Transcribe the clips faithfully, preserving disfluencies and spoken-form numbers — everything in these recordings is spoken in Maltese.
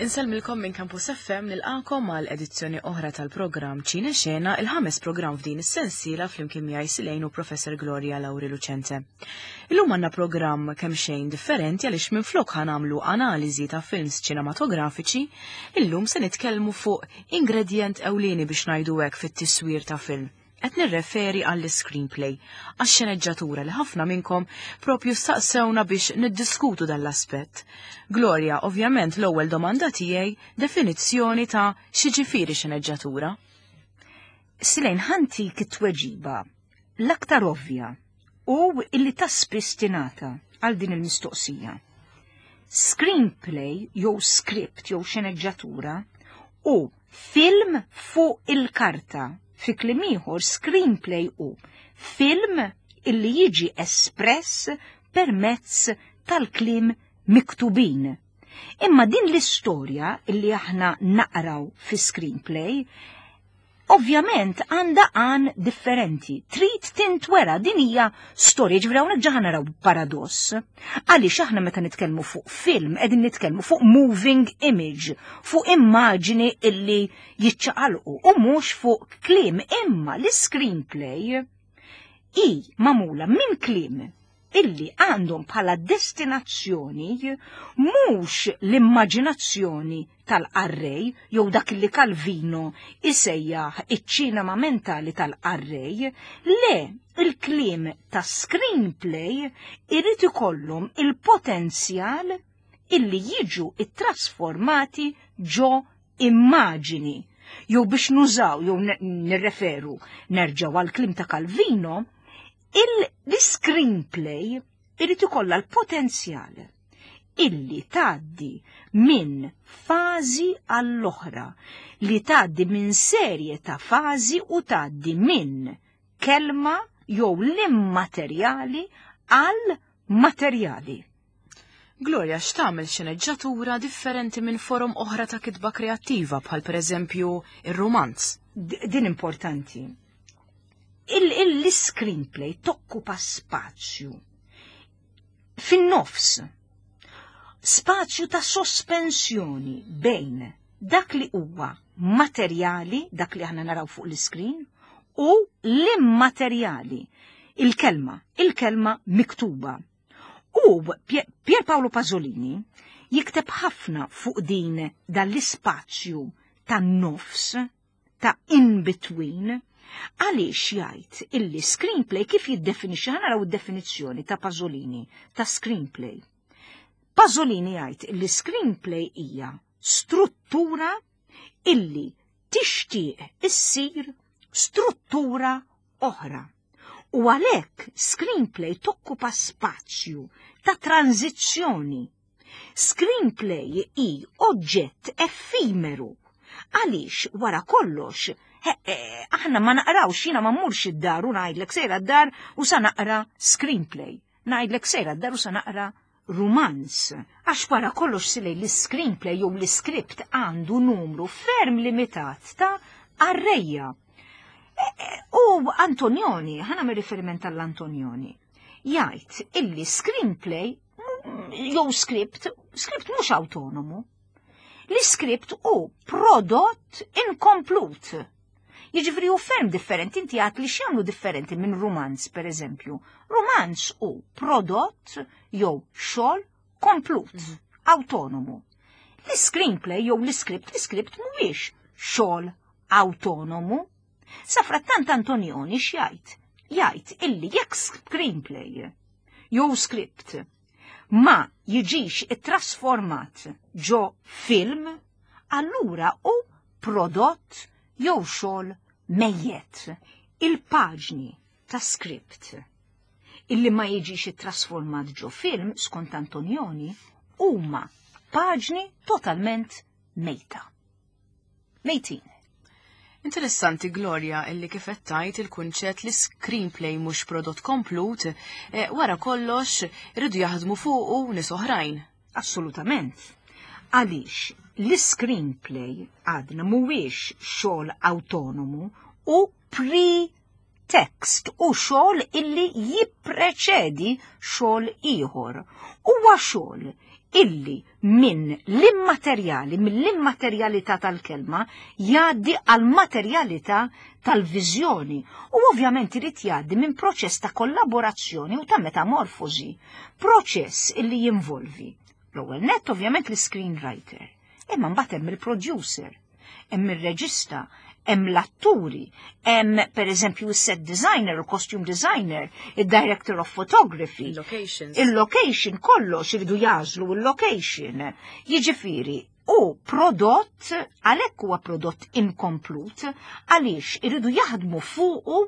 Insellmilkom minn Campus F M, nilqakom għal edizzjoni oħra tal-programm Ċine Xena, il-ħames programm f'din is-sensiela flimkien miegħi Silejn u Professor Gloria Lauri Lucente. Illum għandna programm kemm xejn differenti għaliex minflok ħa nagħmlu analiżi ta' films ċinematografiċi, illum se nitkellmu fuq ingredient ewlieni biex ngħidu hekk fit-tiswir ta' film. Qed nirreferi għall-screenplay, għax-xeneġġatura li ħafna minnkom propju staqsewna biex niddiskutu dan l-aspett. Gloria, ovvjament l-ewwel domanda tiegħi, definizzjoni ta' x'jiġifieri xeneġġatura. Silejn, ħa ntik it-tweġiba l-aktar ovvja u illi ta' spiss tingħata għal din il-mistoqsija. Screenplay jew script jew xeneġġatura u film fuq il-karta. Fi kliem ieħor, screenplay u film illi jiġi espress permezz tal-kliem miktubin. Imma din l-istorja illi aħna naqraw fi screenplay ovvjament għandha għan differenti. Trid tintwera, din hija storja, ġifieri hawnhekk ġa naraw paradoss. Għaliex aħna meta nitkellmu fuq film qegħdin nitkellmu fuq moving image, fuq immaġini illi jiċċaqalqu u mhux fuq kliem, imma l-screenplay hi magħmula minn kliem illi għandhom bħala destinazzjoni mhux l-immaġinazzjoni tal-qarrej jew dak li Calvino isejjaħ iċ-ċinema mentali tal-qarrej, le, il-kliem ta' screenplay irid ikollhom il-potenzjal illi jiġu ittrasformati ġo immaġini. Jew biex nużaw, jew nirreferu, nerġgħu għal kliem ta' Calvino, il-screenplay irid ikollha l-potenzjal illi tgħaddi minn fażi għall-oħra, li tgħaddi minn serje ta' fażi u tgħaddi minn kelma jew l-immaterjali għal materjali. Gloria, x'tagħmel xeneġġatura differenti minn forom oħra ta' kitba kreattiva bħal pereżempju ir-romanz? Din importanti. Il-screenplay tokkupa spazju fin-nofs, spazju ta' sospensjoni bejn dak li huwa materjali, dak li aħna naraw fuq l-screen, u l-immaterjali, il-kelma, il-kelma miktuba. U Pier Paolo Pasolini jikteb ħafna fuq din dan l-ispazju tan-nofs, ta' in between, għaliex jgħid illi screenplay, kif jiddefinixxi, ħa naraw id-definizzjoni ta' Pasolini ta' screenplay. Pasolini jgħid illi screenplay hija struttura illi tixtieq issir struttura oħra. U għalhekk screenplay tokkupa spazju ta' tranzizzjoni. Screenplay hi oġġett effimeru. Għaliex wara kollox aħna ma naqrawx, jiena ma mmurx id-dar u ngħidlek sejra d-dar u sa naqra screenplay. Ngħidlek sejra d-dar u sa naqra rumanz. Għax wara kollox silej l-screenplay jew l-script għandu numru ferm limitat ta' qarrejja. E, e, u Antonioni, ħa nagħmel riferiment għall-Antonioni, jgħid illi screenplay jew script, script mhux autonomu. L-script hu prodott inkomplut. Jiġifieri hu ferm differenti, inti għat li x'jagħmlu differenti minn romanz, per eżempju. Romanz hu prodott jew xogħol komplut, mm. autonomu. L-screenplay jew l-script, l-script mhuwiex xogħol autonomu. Safrattant Antonioni x'jgħid? Jgħid illi jekk screenplay jew script ma jiġix ittrasformat ġo film, allura hu prodott jew xogħol mejjet. Il-paġni ta' script illi ma jiġix ittrasformat ġo film, skont Antonioni, huma paġni totalment mejta. Mejtin. Interessanti, Gloria, illi kif qed tgħid il-kunċett li screenplay mhux prodott komplut, eh, wara kollox iridu jaħdmu fuqu nies oħrajn. Assolutament. Għaliex l-screenplay għadna mhuwiex xogħol autonomu u pre-text u xogħol illi jippreċedi xogħol ieħor. Huwa xogħol illi minn l-immaterjali, mill-immaterjalità tal-kelma, jgħaddi għal materjalità tal-viżjoni u ovvjament irid jgħaddi minn proċess ta' kollaborazzjoni u ta' metamorfosi, proċess illi jinvolvi l-ewwel nett ovvjament l-screenwriter, imma mbagħad hemm il-producer, hemm ir-reġista, hemm l-atturi, hemm per eżempju il-set designer, il-costume designer, il-director of photography, Il-locations. Il-location, kollox iridu jagħżlu il-location. Jiġifieri, u prodott, għalhekk huwa prodott inkomplut, għaliex iridu jaħdmu fuqu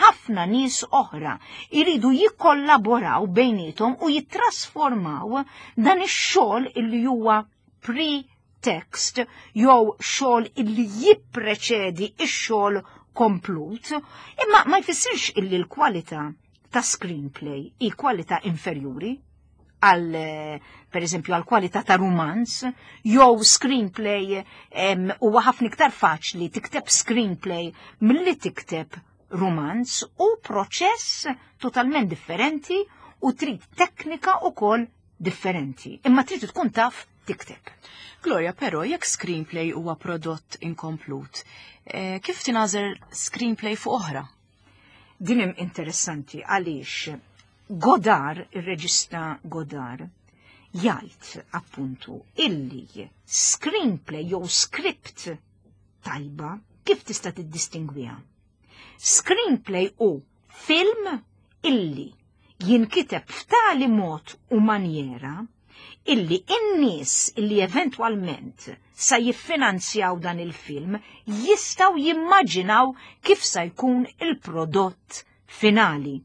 ħafna nies oħra, iridu jikkollaboraw bejniethom u jittrasformaw dan ix-xogħol illi huwa pre-text jew xogħol illi jippreċedi ix-xogħol komplut, imma ma jfissirx illi l-kwalità ta' screenplay hi kwalità inferjuri għal, per eżempju, għal kwalità ta' romanz, jew screenplay huwa ħafna iktar faċli tikteb screenplay milli tikteb romanz, u proċess totalment differenti u trid teknika ukoll differenti. Imma trid tkun taf tikteb. Gloria, però jekk screenplay huwa prodott inkomplut, eh, kif tingħażel screenplay fuq oħra? Din hemm interessanti għaliex Godard, ir-reġista Godard, jgħid appuntu illi screenplay jew script tajba kif tista' tiddistingwiha? Screenplay u film illi jinkiteb f'tali mod u manjera illi in-nies illi eventwalment sa jiffinanzjaw dan il-film jistgħu jimmaġinaw kif sa jkun il-prodott finali.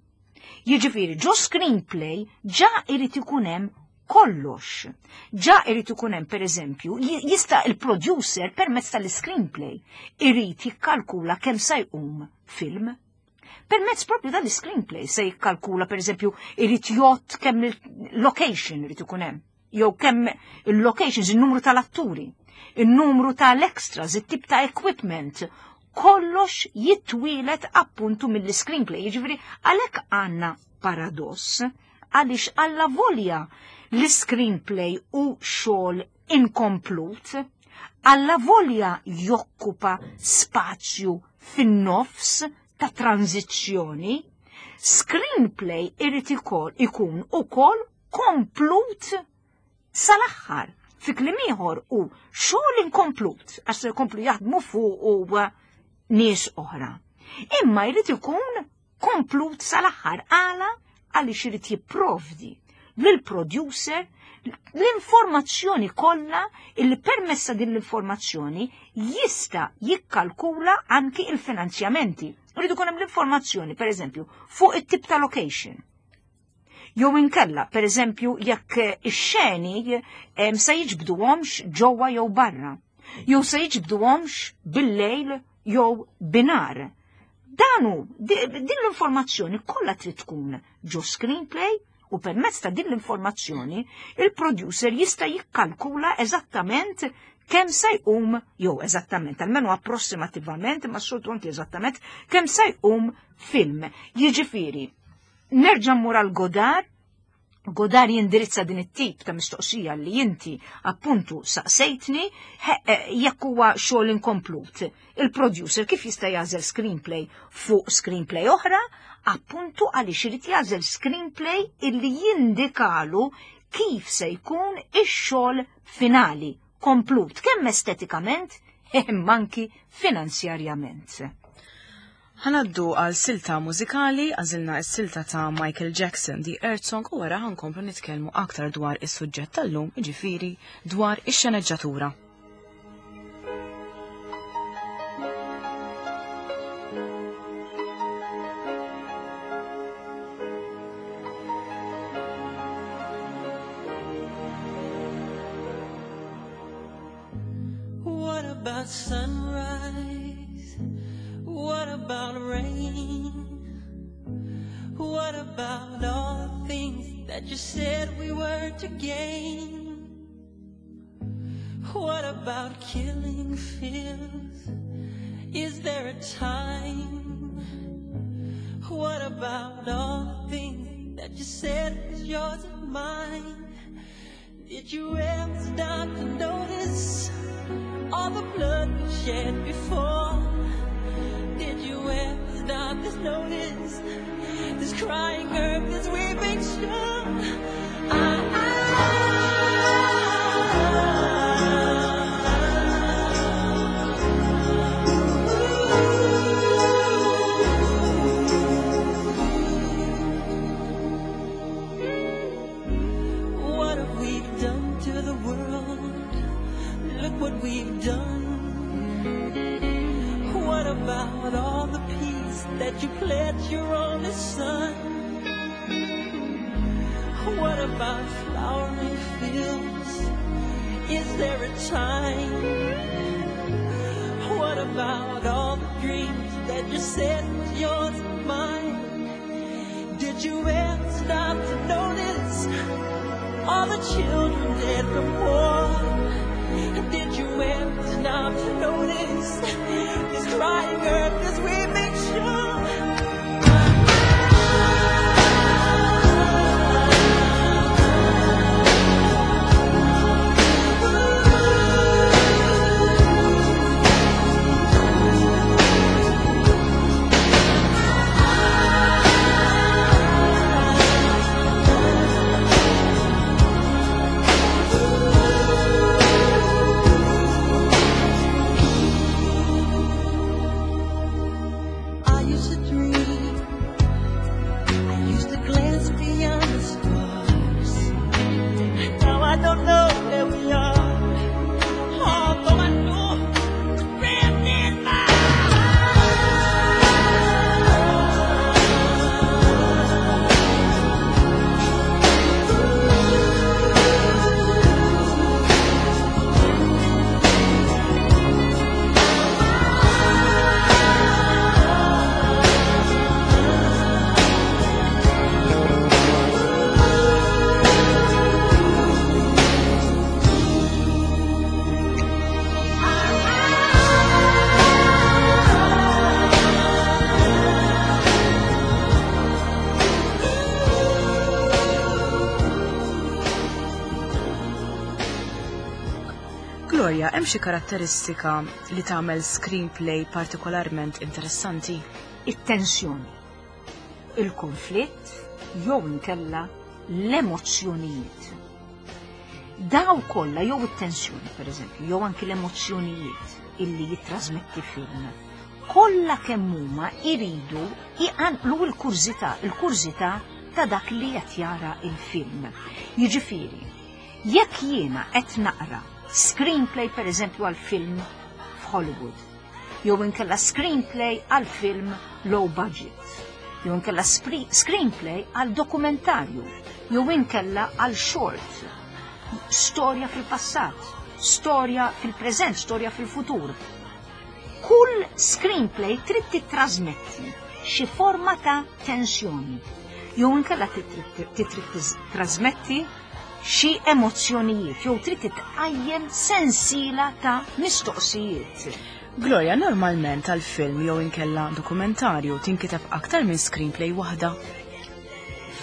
Jiġifieri ġo screenplay ġa irid ikun hemm kollox. Ġa irid ikun hemm pereżempju, jista' il-producer permezz tal-screenplay irid jikkalkula kemm sa jqum film. Permezz propju tal-screenplay se jikkalkula pereżempju irid jgħodd kemm il-location irid ikun hemm, jew kemm il-locations, il-numru tal-atturi, il-numru tal-extras, it-tip ta' equipment, kollox jitwieled appuntu mill-screenplay. Jiġifieri għalhekk għandna paradoss, għaliex alla volja l-screenplay u xogħol inkomplut, alla volja jokkupa spazju fin-nofs ta' tranzizzjoni, screenplay irid ikun ukoll komplut sal-aħħar. Fi kliem ieħor u xogħol inkomplut għax se jkomplu jaħdmu fuq u nies oħra. Imma jrid ikun komplut sal-aħħar għala għaliex irid jipprovdi lill-producer l-informazzjoni kollha illi permessa din l-informazzjoni jista' jikkalkula anki il-finanzjamenti. Rridu jkun hemm l-informazzjoni, per eżempju, fuq it-tip ta' location. Jew inkella, per eżempju, jekk ix-xeni se jiġbduhomx ġewwa jew barra, jew se jiġbduhomx bil-lejl jew binar. Danu, din l-informazzjoni kollha trid tkun ġo screenplay u permezz ta' din l-informazzjoni il-producer jista' jikkalkula eżattament kemm se jqum, jew eżattament, almenu approssimativament, ma soltu anki eżattament, kemm se jqum film. Jiġifieri, nerġa' mmur għal Godard. Godard jindirizza din it-tip ta' mistoqsija li inti appuntu saqsejtni, jekk huwa xogħol inkomplut. Il-producer kif jista' jagħżel screenplay fuq screenplay oħra? Appuntu għaliex irid jagħżel screenplay illi jindikalu kif se jkun ix-xogħol finali komplut, kemm estetikament imma anki finanzjarjament. Ħa ngħaddu għal silta mużikali, għażilna s-silta ta' Michael Jackson, The Earth Song, u wara ħa nkomplu nitkellmu aktar dwar is-suġġett tal-lum, jiġifieri dwar ix-xeneġġatura. What about sunrise? What about rain? What about all the things that you said we were to gain? What about killing fears? Is there a time? What about all the things that you said was yours and mine? Did you ever stop to notice all the blood we shed before? Did you ever stop to notice this crying earth, this weeping shore? I, I, What have we done to the world? Look what we've done. What about all the peace that you pledged your only son? What about flowering fields? Is there a time? What about all the dreams that you said was yours and mine? Did you ever stop to notice all the children dead from war? Did you ever stop to notice this crying earth, this weeping shore? I used to dream. I used to glance beyond the stars. Now I don't know where we are. Although I know the grand in my Gloria, hemm xi karatteristika li tagħmel screenplay partikolarment interessanti? It-tensjoni, il-konflitt, jew inkella l-emozzjonijiet. Daw kollha jew it-tensjoni, per eżempju, jew anki l-emozzjonijiet illi jittrasmetti film, kollha kemm huma iridu iqanqlu l-kurżità, il-kurżità ta' dak li qed jara il-film. Jiġifieri, jekk jiena qed naqra screenplay per eżempju għal film f'Hollywood, jew inkella screenplay għal film low budget, jew inkella spri- screenplay għal dokumentarju, jew inkella għal short, storja fil-passat, storja fil-preżent, storja fil-futur. Kull screenplay trid titrasmetti xi forma ta' tensjoni, jew inkella trid titrasmetti xi emozzjonijiet, jew trid titqajjem sensiela ta' mistoqsijiet. Gloria, normalment għal film jew inkella dokumentarju tinkiteb aktar minn screenplay waħda.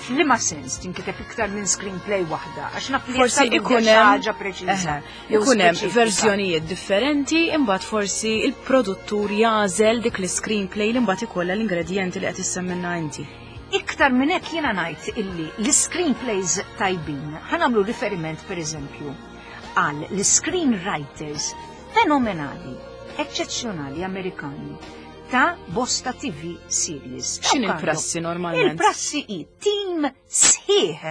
F'liema sens tinkiteb iktar minn screenplay waħda, għax naf li Forsi jekk ikun xi hemm ħaġa preċiża. Eħe, jew ikun hemm speċifika. verżjonijiet differenti, imbagħad forsi il-produttur jagħżel dik l-screenplay li mbagħad ikollha l-ingredjenti li qed issemmilna inti. Iktar minn hekk jiena ngħid illi l-screenplays tajbin, ħa nagħmlu riferiment per eżempju għal l-screenwriters fenomenali, eċċezzjonali Amerikani ta' bosta T V series. X'inhi Dawk l-prassi għandhom- normalment? Il-prassi hi team sħiħ.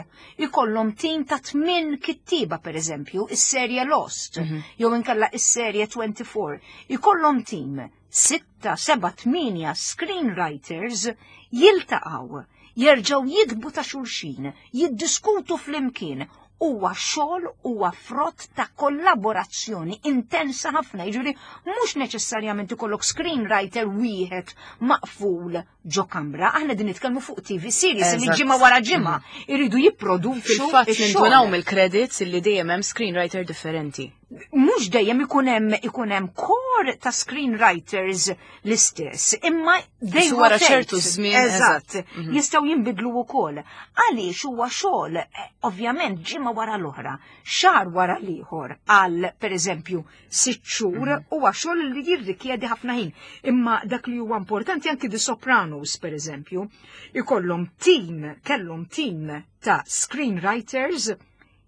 Ikollhom team ta' tmien kittiba per eżempju, is-serje Lost, Mhm. jew inkella is-serje twenty-four. Ikollhom team sitta, seba', tmienja screenwriters jiltaqgħu, jerġgħu jiktbu ta' xulxin, jiddiskutu flimkien. Huwa xogħol, huwa frott ta' kollaborazzjoni intensa ħafna, jiġifieri mhux neċessarjament ikollok screenwriter wieħed maqful ġo kamra. Aħna din nitkellmu fuq T V series li Eżatt. ġimgħa wara ġimgħa iridu jipproduċu Fil-fatt ix-xogħol. nindunaw mill-credits illi dejjem hemm screenwriter differenti. Mhux dejjem ikun hemm ikun hemm kor ta' screenwriters l-istess, imma they wara rotate. ċertu żmien, Eżatt, eżatt. Mhm. jistgħu jinbidlu wkoll. Għaliex huwa xogħol eh, ovvjament ġimgħa wara l-oħra, xahar wara l-ieħor għal pereżempju sitt xhur Mhm. huwa xogħol li jirrikjedi ħafna ħin. Imma dak li huwa importanti anki The Sopranos pereżempju, ikollhom team, kellhom team ta' screenwriters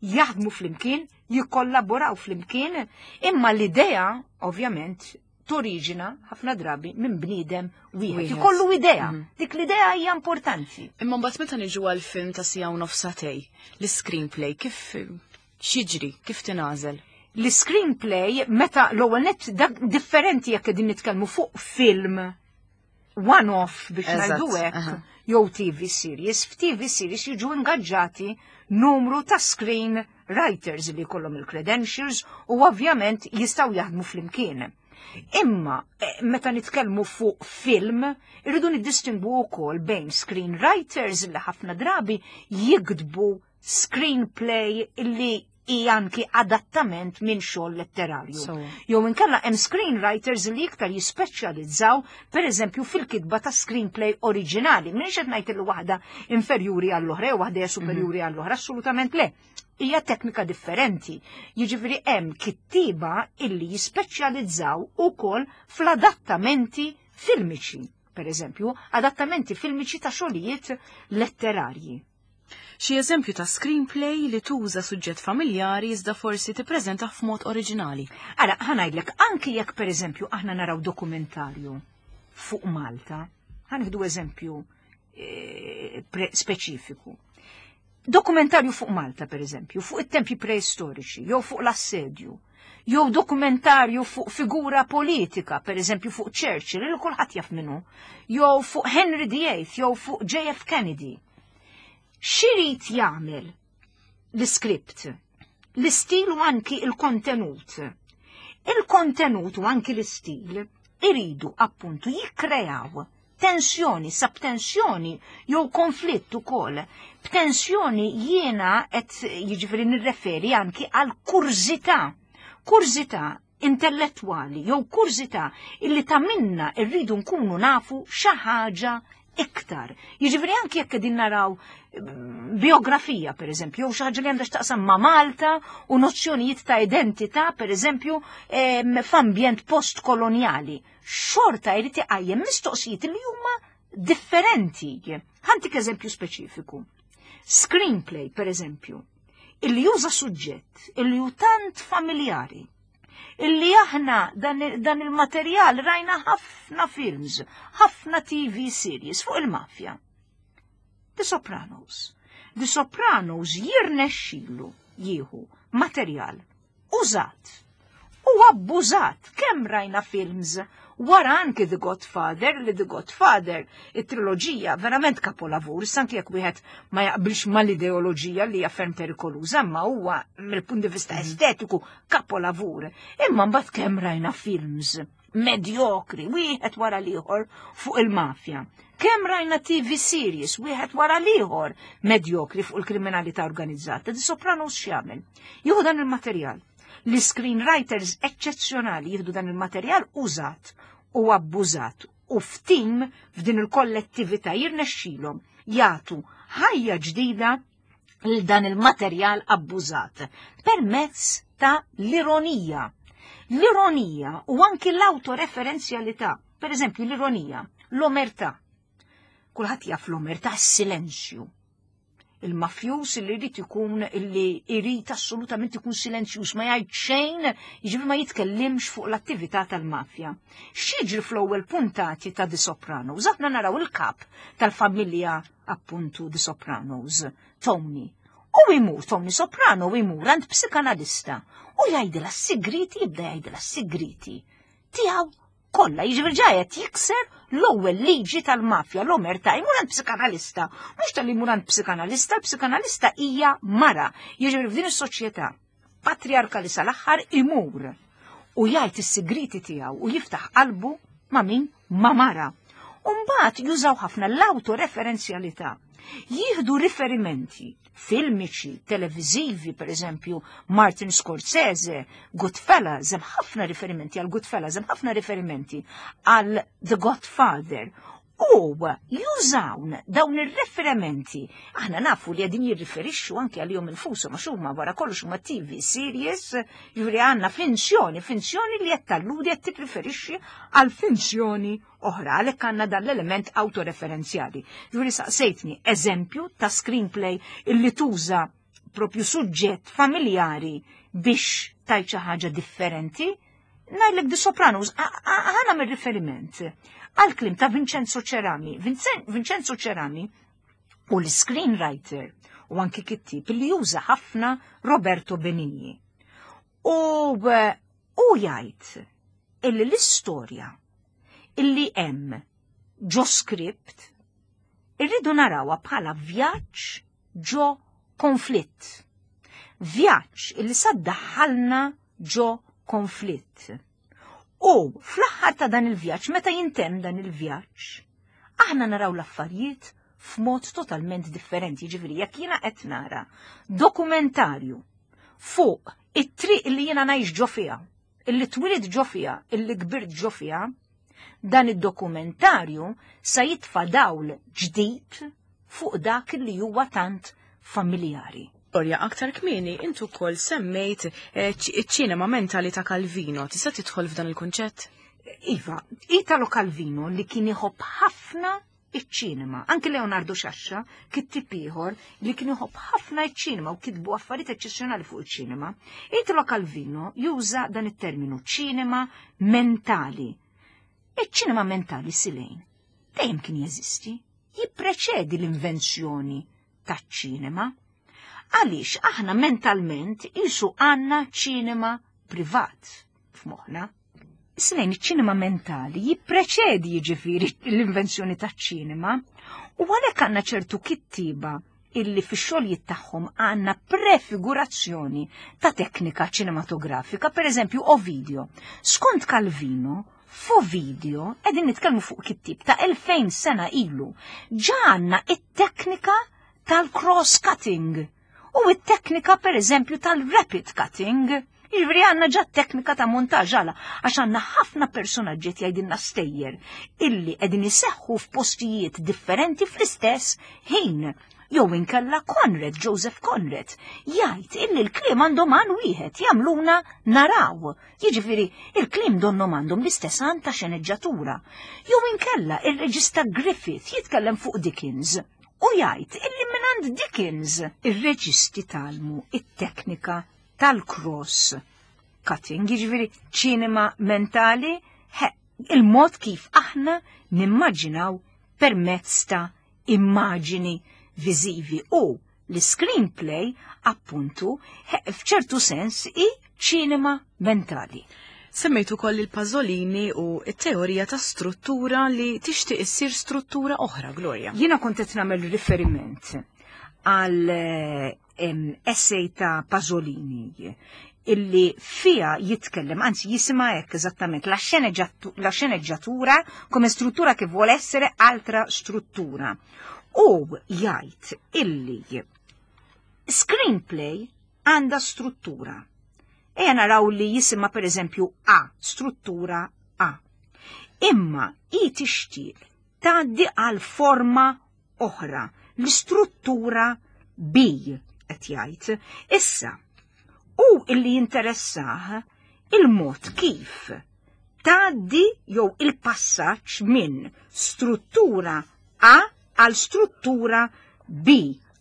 jaħdmu flimkien, jikkollaboraw flimkien, imma l-idea, ovvjament, toriġina ħafna drabi minn bniedem wieħed. Wieħed. Ikollu idea. Mhm. Dik l-idea hija importanti. Imma mbagħad meta niġu għal film ta' siegħa u nofs sagħtejn, l-screenplay kif x'jiġri, kif tingħażel? L-screenplay meta l-ewwel net dak differenti jekk qegħdin nitkellmu fuq film one-off biex Eżatt, ngħidu hekk, aha. jew T V series. F'T V series jiġu ingaġġati numru ta' screen writers li jkollhom il-credentials u ovvjament jistgħu jaħdmu flimkien. Imma eh, meta nitkellmu fuq film, irridu niddistingwu wkoll bejn screenwriters li ħafna drabi jiktbu screenplay li hija anki adattament minn xogħol letterarju. So. Jew inkella hemm screenwriters li iktar jispeċjalizzaw pereżempju fil-kitba ta' screenplay oriġinali. M'iniex qed ngħid li waħda inferjuri għall-oħra jew waħda hija superjuri għall-oħra, assolutament le. Hija teknika differenti. Jiġifieri hemm kittiba illi jispeċjalizzaw ukoll fl-adattamenti filmiċi. Per eżempju, adattamenti filmiċi ta' xogħlijiet letterarji. Xi eżempju ta' screenplay li tuża suġġett familjari iżda forsi tippreżenta f'mod oriġinali. Ara, ħa ngħidlek, anki jekk per eżempju aħna naraw dokumentarju fuq Malta, ħa nieħdu eżempju eh, pre- speċifiku. Dokumentarju fuq Malta, per eżempju, fuq it-tempi preistoriċi, jew fuq l-assedju, jew dokumentarju fuq figura politika, per eżempju fuq Churchill, li kulħadd jaf minnu, jew fuq Henry the Eighth, jew fuq J F. Kennedy. X'irid jagħmel l-iskript, l-istil u anki il-kontenut? Il-kontenut u anki l-istil iridu appuntu jikkrejaw tensjoni, sabtensjoni jew konflitt ukoll. B'tensjoni jiena qed jiġifieri nirreferi anki għal kurżità. Kurżità intellettwali jew kurżità illi ta' minna rridu nkunu nafu xi ħaġa iktar. Jiġifieri anki jekk qegħdin naraw mm, biografija, per eżempju, jew xi ħaġa li għandha x'taqsam ma' Malta u nozzjonijiet ta' identità, per eżempju, em, f'ambjent postkoloniali. Xorta jrid iqajjem mistoqsijiet li huma differenti. Ħa ntik eżempju speċifiku. Screenplay, per eżempju, illi juża suġġett illi hu tant familjari, illi aħna dan, dan il-materjal rajna ħafna films, ħafna T V series fuq il-mafja. The Sopranos. The Sopranos jirnexxilu jieħu materjal użat u abbużat. Kemm rajna films wara anki The Godfather, li The Godfather, it-triloġija, verament kapolavur, anki jekk wieħed ma jaqbilx mal-ideoloġija li hija ferm perikoluża, ma huwa mill-punt di vista estetiku kapolavur. Imma mbagħad kemm rajna films medjokri, wieħed wara l-ieħor fuq il-mafja. Kemm rajna T V series, wieħed wara l-ieħor medjokri fuq il-kriminalità organizzata. The Sopranos x'jagħmel? Jieħu dan il-materjal. L-screenwriters eċċezzjonali jieħdu dan il-materjal użat u abbużat u f'tim f'din il-kollettività jirnexxilhom jagħtu ħajja ġdida lil dan il-materjal abbużat permezz ta' l-ironija. L-ironija u anki l-autoreferenzjalità. Per eżempju, l-ironija, l-omertà. Kulħadd jaf l-omertà, s-silenzju. Il-mafjus li jrid ikun li jrid assolutament ikun silenzjuż, ma jgħid xejn, jiġifieri ma jitkellimx fuq l-attività tal-mafja. X'jiġri fl-ewwel puntati ta' The Sopranos? Aħna naraw il-kap tal-familja appuntu The Sopranos, Tony. U jmur Tony Soprano u jmur għand psikanalista u jgħidilha s-sigriti, jibda jgħidilha s-sigriti tiegħu kollha, jiġifieri ġa qed jikser l-ewwel liġi tal-mafja, l-omertà, jmur għand psikanalista. Mhux tal jmur għand psikanalista, l-psikanalista hija mara. Jiġifieri f'din is-soċjetà patriarkali sal-aħħar imur u jgħid is-sigriti tiegħu u jiftaħ qalbu ma' min? Ma' mara. U mbagħad jużaw ħafna l-autoreferenzjalità. Jieħdu riferimenti filmiċi, televizivi, per eżempju, Martin Scorsese, Goodfellas, hemm ħafna riferimenti għal Goodfellas, hemm ħafna riferimenti għal The Godfather. U jużawn dawn ir-referimenti. Aħna nafu li qegħdin jirriferixxu anke għalihom infushom għax huma wara kollox huma T V series, jiġifieri għandna finzjoni, finzjoni li qed talludi, qed tirriferixxi għal finzjoni oħra, għalhekk għandna dan l-element autoreferenzjali. Jiġifieri saqsejtni eżempju ta' screenplay illi tuża propju suġġett familjari biex tajt xi ħaġa differenti. Ngħidlek The Sopranos, ħa nagħmel riferiment għal kliem ta' Vincenzo Cerami. Vincenzo Cerami u l-screenwriter u anki kittib li juża ħafna Roberto Benigni. U u jgħid illi l-istorja illi hemm ġo script irridu narawha bħala vjaġġ ġo konflitt. Vjaġġ illi sa ddaħħalna ġo konflitt. U fl-aħħar ta' dan il-vjaġġ, meta jintemm dan il-vjaġġ, aħna naraw l-affarijiet f'mod totalment differenti. Ġifieri, jekk jiena qed nara dokumentarju fuq it-triq li jiena ngħix ġo fiha, illi twilidt ġo fiha, illi kbirt ġo fiha, dan id-dokumentarju sa jitfa' dawl ġdid fuq dak li huwa tant familjari. Gloria, aktar kmieni intu wkoll semmejt eh, iċ-ċinema mentali ta' Calvino. Tista' tidħol f'dan il-kunċett? Iva, Italo Calvino li kien iħobb ħafna iċ-ċinema. Anke Leonardo Sciascia, kittib ieħor li kien iħobb ħafna iċ-ċinema u kitbu affarijiet eċċezzjonali fuq iċ-ċinema. Italo Calvino juża dan it-terminu ċinema mentali. Iċ-ċinema mentali, Silejn, dejjem kien jeżisti, jippreċedi l-invenzjoni taċ-ċinema. Għaliex aħna mentalment qisu għandna ċinema privat f'moħħna. Silejn, iċ-ċinema mentali jippreċedi, jiġifieri, l-invenzjoni taċ-ċinema u għalhekk għandna ċertu kittiba illi fix-xogħlijiet tagħhom għandna prefigurazzjoni ta' teknika ċinematografika, per eżempju Ovidio. Skont Calvino, f'Ovidio qegħdin nitkellmu fuq kittib ta' elfejn sena ilu, ġa għandna it-teknika tal-cross-cutting u it-teknika, per eżempju, tal-rapid cutting. Jiġifieri għandna ġa teknika ta' montaġ għala, għax għandna ħafna personaġġi jgħidilna stejjer illi qegħdin iseħħu f'postijiet differenti fl-istess ħin. Jew inkella Conrad, Joseph Conrad, jgħid illi l-kliem għandhom għan wieħed, jagħmluna naraw. Jiġifieri il-kliem donnom għandhom l-istess għan ta' xeneġġatura. Jew inkella il-reġista Griffith jitkellem fuq Dickens u jgħid illi mingħand Dickens ir-reġisti tgħallmu it-teknika tal-cross cutting, jiġifieri ċinema mentali, il-mod kif aħna nimmaġinaw permezz ta' immaġini viżivi, u l-screenplay appuntu f'ċertu sens i ċinema mentali. Semmejtu koll il-Pasolini u it-teorija ta' struttura li tixtieq issir struttura oħra, Gloria. Jiena kont qed nagħmel riferiment għal essay ta' Pasolini illi fija jitkellem, anzi jisimha hekk eżattament, la la sceneggiatura come struttura che vuole essere altra struttura. U jgħid illi screenplay għandha struttura. Ejja naraw li jisimha, per eżempju, A, struttura A. Imma i tixtieq tgħaddi għal forma oħra, l-istruttura B, qed jgħid. Issa, u illi jinteressah il-mod kif tgħaddi jew il-passaġġ minn struttura A għal struttura B.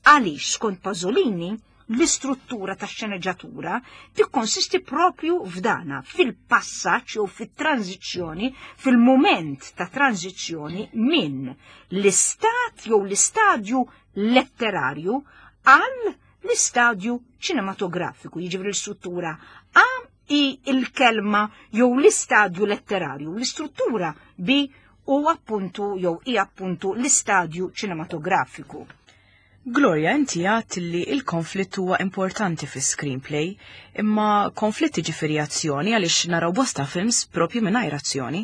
Għaliex skont Pasolini l-istruttura ta' xeneġġatura tikkonsisti propju f'dana, fil-passaġġ jew fit-tranzizzjoni, fil-moment ta' tranzizzjoni minn l-istat jew l-istadju letterarju għal l-istadju ċinematografiku, jiġifieri l-istruttura A i il-kelma jew l-istadju letterarju, l-istruttura B u appuntu jew i appuntu l-istadju ċinematografiku. Gloria, inti għat li il-konflitt huwa importanti fi screenplay, imma konflitti ġifieri azzjoni, għaliex naraw bosta films propju mingħajr azzjoni.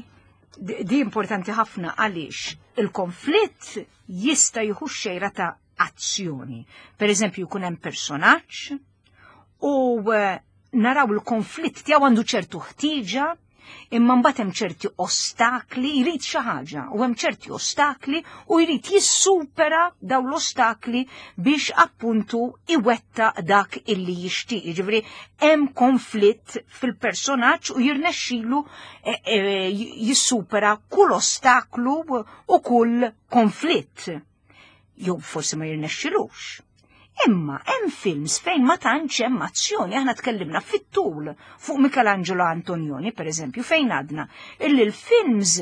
Di importanti ħafna għaliex Il-konflitt jista' jieħu xejra ta' azzjoni. Per eżempju, jkun hemm personaġġ u eh, naraw il-konflitt tiegħu għandu ċertu ħtieġa, imma mbagħad hemm ċerti ostakli, jrid xi ħaġa, u hemm ċerti ostakli u jrid jissupera dawn l-ostakli biex appuntu iwetta dak illi jixtieq. Jiġifieri hemm konflitt fil-personaġġ u jirnexxilu eh, eh, jissupera kull ostaklu u kull konflitt. Jew forsi ma jirnexxilux. Imma hemm films fejn ma tantx hemm azzjoni, aħna tkellimna fit-tul fuq Michelangelo Antonioni, per eżempju, fejn għadna illi l-films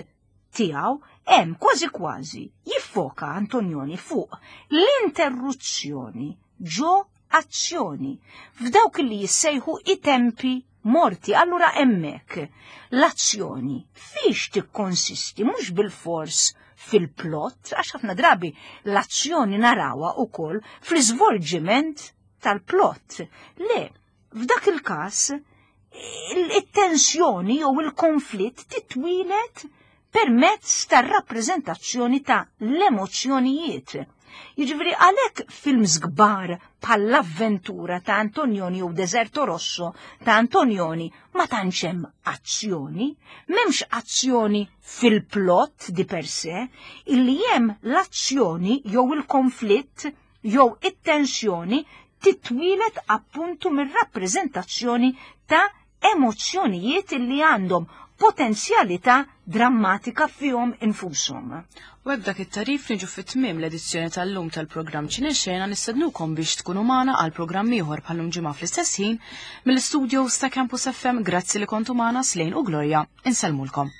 tiegħu hemm kważi kważi jiffoka Antonioni fuq l-interruzzjoni ġo azzjoni f'dawk li jissejħu i tempi morti. Allura hemmhekk l-azzjoni fiex tikkonsisti? Mhux bil-fors fil-plot, għax ħafna drabi l-azzjoni narawha ukoll fl-iżvolġiment tal-plot. Le, f'dak il-każ il-tensjoni jew il-konflitt titwieled permezz tar-rappreżentazzjoni ta' l-emozzjonijiet. Jiġifieri għalhekk films kbar bħall-Avventura ta' Antonioni u Deserto Rosso ta' Antonioni ma tantx hemm azzjoni, m'hemmx azzjoni fil-plot di per se, illi hemm l-azzjoni jew il-konflitt jew it-tensjoni titwieled appuntu mir-rappreżentazzjoni ta' emozzjonijiet illi għandhom potenzjalità drammatika fihom infushom. U hekk dak it-tarif niġu fit-tmiem l-edizzjoni tal-lum tal-programm Ċinexxena. Nistednukom biex tkunu magħna għal programm ieħor bħallum ġimgħa fl-istess ħin mill-studios ta' Campus F M. Grazzi li kontu magħna. Slejn u Gloria, insellmulkom.